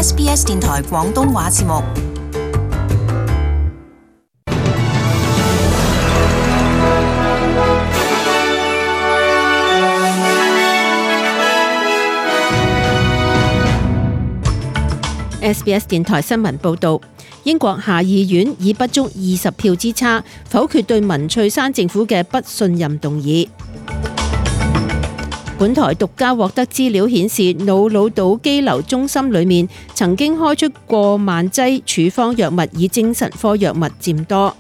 SBS 電台廣東話節目。SBS 電台新聞報導，英國下議院以不足20票之差否決對文翠珊政府嘅不信任動議。本台獨家獲得資料顯示，瑙魯島羈留中心裏面曾經開出過萬劑處方藥物，以精神科藥物佔多。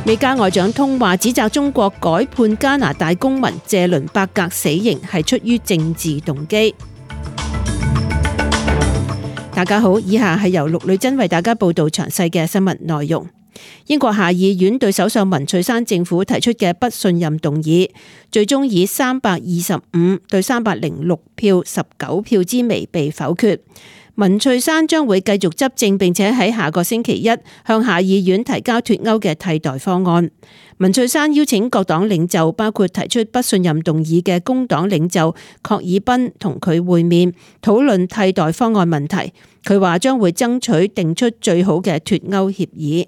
美加外長通話指責中國改判加拿大公民謝倫伯格死刑係出於政治動機。大家好，以下係由陸女珍為大家報道詳細嘅新聞內容。英國下議院對首相文翠珊政府提出嘅不信任動議，最終以325對306票19票之微被否決。文翠珊將會繼續執政，並且喺下個星期一向下議院提交脫歐嘅替代方案。文翠珊邀請各黨領袖，包括提出不信任動議嘅工黨領袖郝爾彬同佢會面，討論替代方案問題。佢話將會爭取定出最好嘅脫歐協議。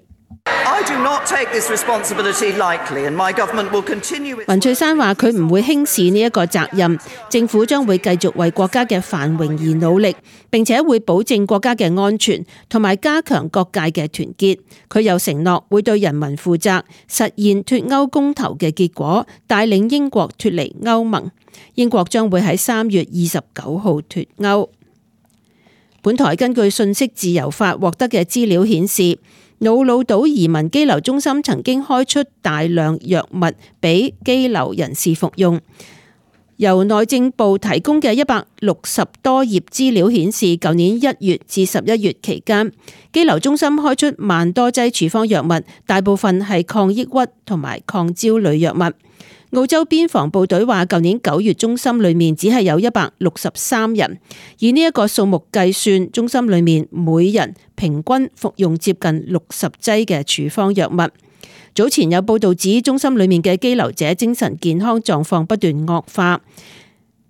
文翠珊話佢唔會輕視呢一個責任，政府將會繼續為國家嘅繁榮而努力，並且會保證國家嘅安全同埋加強各界嘅團結。佢又承諾會對人民負責，實現脫歐公投嘅結果，帶領英國脫離歐盟。英國將會喺3月29號脫歐。本台根據信息自由法獲得嘅資料顯示，瑙魯島移民羈留中心曾經開出大量藥物俾羈留人士服用。由內政部提供嘅160多頁資料顯示，舊年1月至11月期間，羈留中心開出萬多劑處方藥物，大部分係抗抑鬱同埋抗焦慮藥物。澳洲邊防部隊話，舊年9月中心裏面只係有163人，以呢一個數目計算，中心裏面每人平均服用接近60劑嘅處方藥物。早前有報道指，中心裏面嘅羈留者精神健康狀況不斷惡化，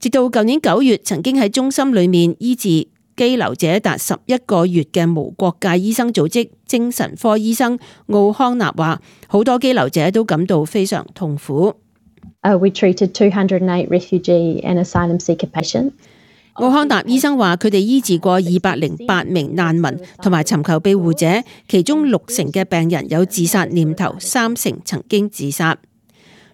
直到舊年9月，曾經喺中心裏面醫治羈留者達11個月嘅無國界醫生組織精神科醫生奧康納話，好多羈留者都感到非常痛苦。We treated 208 refugee and asylum seeker patients. 奧康納醫生話，佢哋醫治過208名難民同埋尋求庇護者，其中60%嘅病人有自殺念頭，30%曾經自殺。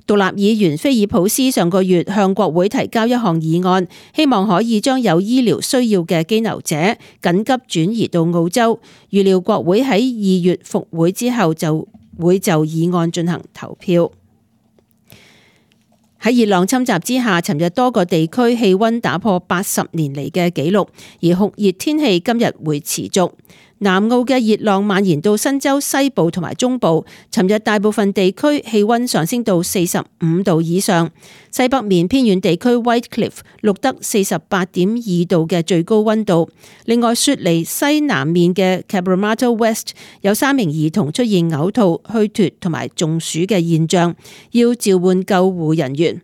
獨立議員菲爾普斯上個月向國會提交一項議案，希望可以將有醫療需要嘅羈留者緊急轉移到澳洲。預料國會喺2月復會之後就會就議案進行投票。喺熱浪侵襲之下，尋日多個地區氣溫打破80年嚟嘅紀錄，而酷熱天氣今日會持續。南澳嘅熱浪蔓延到新州西部同埋中部，尋日大部分地區氣溫上升到45度以上。西北面偏遠地區 Whitecliff 錄得48.2度嘅最高溫度。另外，雪梨西南面嘅 Cabramatta West 有3名兒童出現嘔吐、虛脫同埋中暑嘅現象，要召喚救護人員。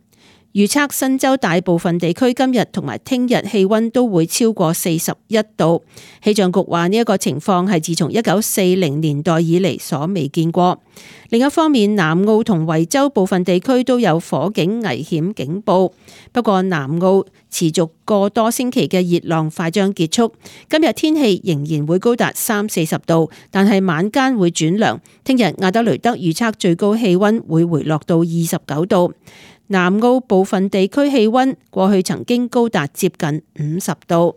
預測新州大部分地區今日同埋聽日氣溫都會超過41度。氣象局話呢一個情況係自從1940年代以嚟所未見過。另一方面，南澳同維州部分地區都有火警危險警報。不過南澳持續個多星期嘅熱浪快將結束，今日天氣仍然會高達30-40度，但係晚間會轉涼。聽日亞德雷德預測最高氣溫會回落到29度。南澳部分地區氣溫過去曾經高達接近50度。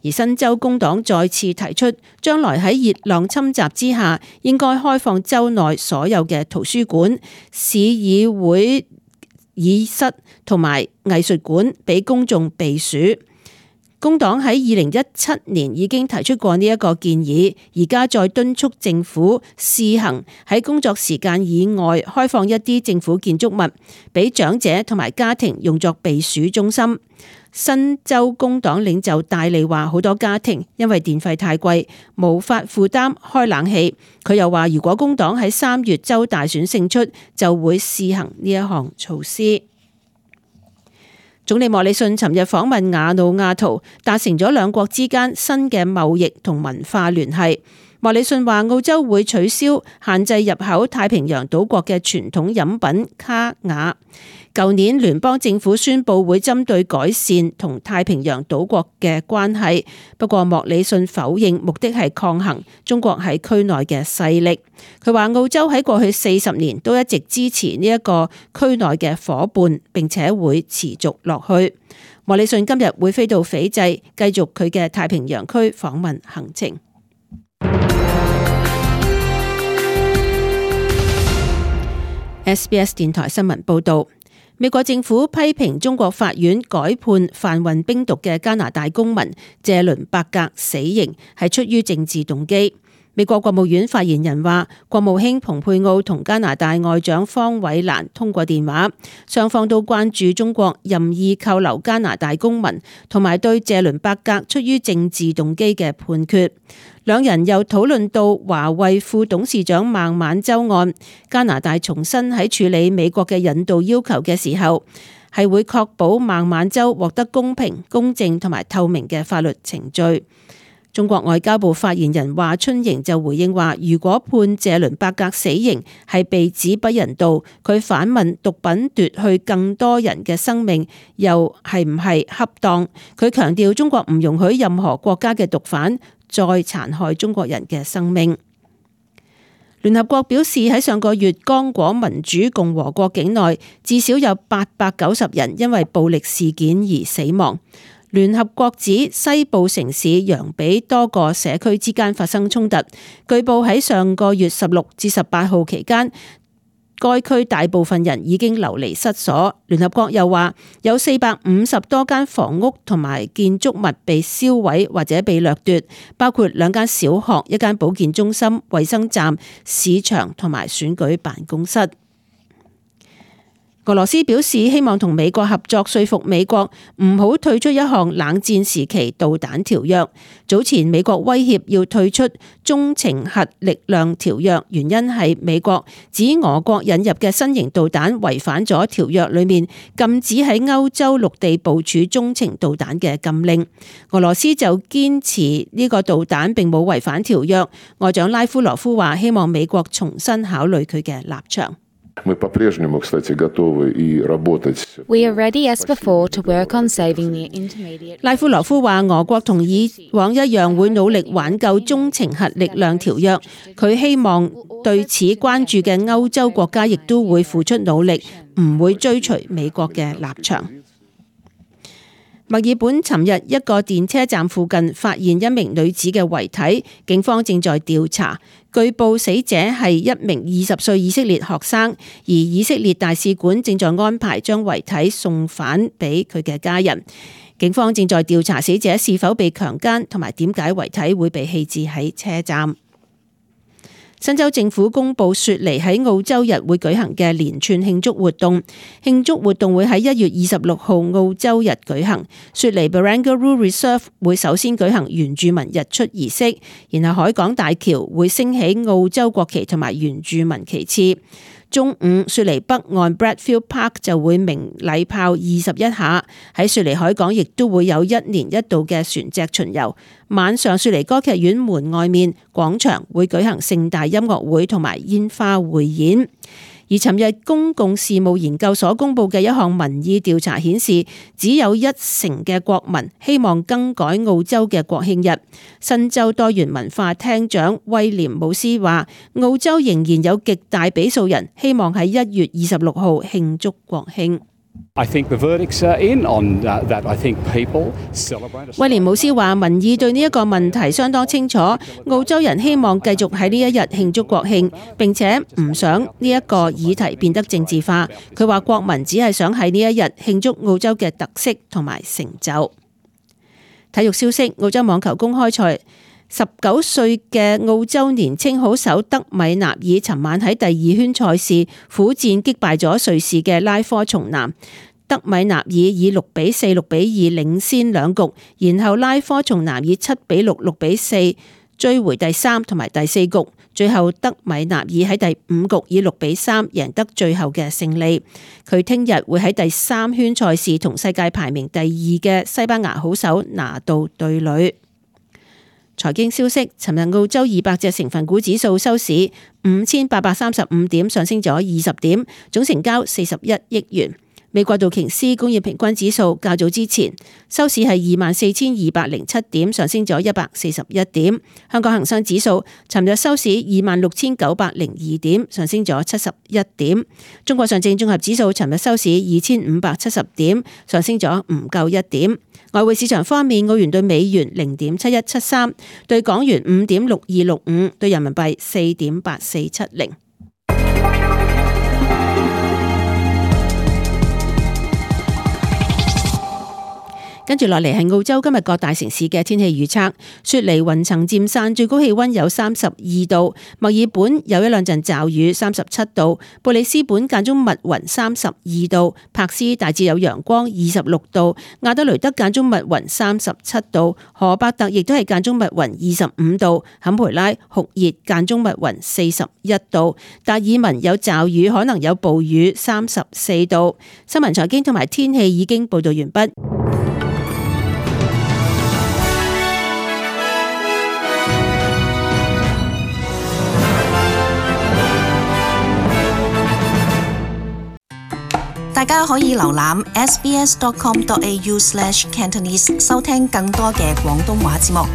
而新州工黨再次提出，將來喺熱浪侵襲之下，應該開放州內所有嘅圖書館、市議會議室同埋藝術館俾公眾避暑。工黨喺2017年已經提出過呢一個建議，而家再敦促政府試行喺工作時間以外開放一啲政府建築物，俾長者同埋家庭用作避暑中心。新州工黨領袖戴利話，好多家庭因為電費太貴，無法負擔開冷氣。佢又話，如果工黨喺3月州大選勝出，就會試行呢一項措施。總理莫里遜尋日訪問瓦努阿圖，達成咗兩國之間新嘅貿易同文化聯繫。莫里遜話澳洲會取消限制入口太平洋島國嘅傳統飲品卡雅。舊年聯邦政府宣布會針對改善同太平洋島國嘅關係，不過莫里遜否認目的係抗衡中國喺區內嘅勢力。佢話澳洲喺過去40年都一直支持呢一個區內嘅夥伴，並且會持續落去。莫里遜今日會飛到斐濟，繼續佢嘅太平洋區訪問行程。SBS 電台新聞報道。美國政府批評中國法院改判販運冰毒嘅加拿大公民謝倫伯格死刑係出於政治動機。美國國務院發言人話，國務卿蓬佩奧同加拿大外長方偉蘭通過電話，雙方都關注中國任意扣留加拿大公民同埋對謝倫伯格出於政治動機嘅判決。兩人又討論到華為副董事長孟晚舟案，加拿大重申喺處理美國嘅引渡要求嘅時候，係會確保孟晚舟獲得公平、公正同埋透明嘅法律程序。中國外交部發言人華春瑩就回應話，如果判謝倫伯格死刑係被指不人道，佢反問毒品奪去更多人嘅生命又係唔係恰當？佢強調中國唔容許任何國家嘅毒販再殘害中國人嘅生命。聯合國表示喺上個月剛果民主共和國境內至少有890人因為暴力事件而死亡。聯合國指西部城市楊比多個社區之間發生衝突，據報喺上個月16至18號期間，該區大部分人已經流離失所。聯合國又話有450多間房屋同埋建築物被燒毀或者被掠奪，包括2間小學、1間保健中心、衛生站、市場同埋選舉辦公室。俄羅斯表示希望同美國合作，說服美國唔好退出一項冷戰時期導彈條約。早前美國威脅要退出中程核力量條約，原因係美國指俄國引入嘅新型導彈違反咗條約裏面禁止喺歐洲陸地部署中程導彈嘅禁令。俄羅斯就堅持呢個導彈並冇違反條約。外長拉夫羅夫話希望美國重新考慮佢嘅立場。We are ready as before to work on saving the intermediate. 拉夫羅夫話俄國同以往一樣會努力挽救中程核力量條約，佢希望對此關注嘅歐洲國家亦都會付出努力，唔會追隨美國嘅立場。墨爾本尋日一個電車站附近發現一名女子嘅遺體，警方正在調查。據報死者係一名20歲以色列學生，而以色列大使館正在安排將遺體送返俾佢嘅家人。警方正在調查死者是否被強姦，同埋點解遺體會被棄置喺車站。新州政府公布雪梨喺澳洲日會舉行嘅連串慶祝活動，慶祝活動會喺1月26號澳洲日舉行。雪梨 Barangaroo Reserve 會首先舉行原住民日出儀式，然後海港大橋會升起澳洲國旗同埋原住民旗幟。中午，雪梨北岸 Bradfield Park 就會鳴禮炮21下，喺雪梨海港亦都會有1年1度嘅船隻巡遊。晚上，雪梨歌劇院門外面廣場會舉行盛大音樂會同埋煙花匯演。而尋日公共事務研究所公布嘅一項民意調查顯示，只有1成嘅國民希望更改澳洲嘅國慶日。新州多元文化廳長威廉姆斯話，澳洲仍然有極大比數人希望喺1月26號慶祝國慶。威廉姆斯話，民意對呢一個問題相當清楚，澳洲人希望繼續喺呢一日慶祝國慶，並且唔想呢一個議題變得政治化。佢話國民只係想喺呢一日慶祝澳洲嘅特色同埋成就。體育消息，澳洲網球公開賽19歲嘅澳洲年青好手德米納爾尋晚喺第2圈賽事苦戰擊敗咗瑞士嘅拉科松南。德米納爾以6-4、6-2領先2局，然後拉科松南以7-6、6-4追回第3同埋第4局，最後德米納爾喺第5局以6-3贏得最後嘅勝利。佢聽日會喺第3圈賽事同世界排名第2嘅西班牙好手拿度對壘。財經消息，尋日澳洲200隻成分股指數收市5835點，上升咗20點，總成交41億元。美國道瓊斯工業平均指數較早之前收市係24,207點，上升咗141點。香港恒生指數尋日收市26,902點，上升咗71點。中國上證綜合指數尋日收市2,570點，上升咗唔夠1點。外匯市場方面，澳元對美元0.7173，對港元5.6265，對人民幣4.8470。跟住落嚟係澳洲今日各大城市嘅天氣預測。雪梨雲層漸散，最高氣溫有32度；墨爾本有一兩陣驟雨，37度；布里斯本間中密雲，32度；柏斯大致有陽光，26度；亞德雷德間中密雲，37度；荷伯特亦都係間中密雲，25度；坎培拉酷熱間中密雲，41度；達爾文有驟雨，可能有暴雨，34度。新聞財經同埋天氣已經報道完畢。大家可以瀏覽 sbs.com.au/cantonese 收聽更多嘅廣東話節目。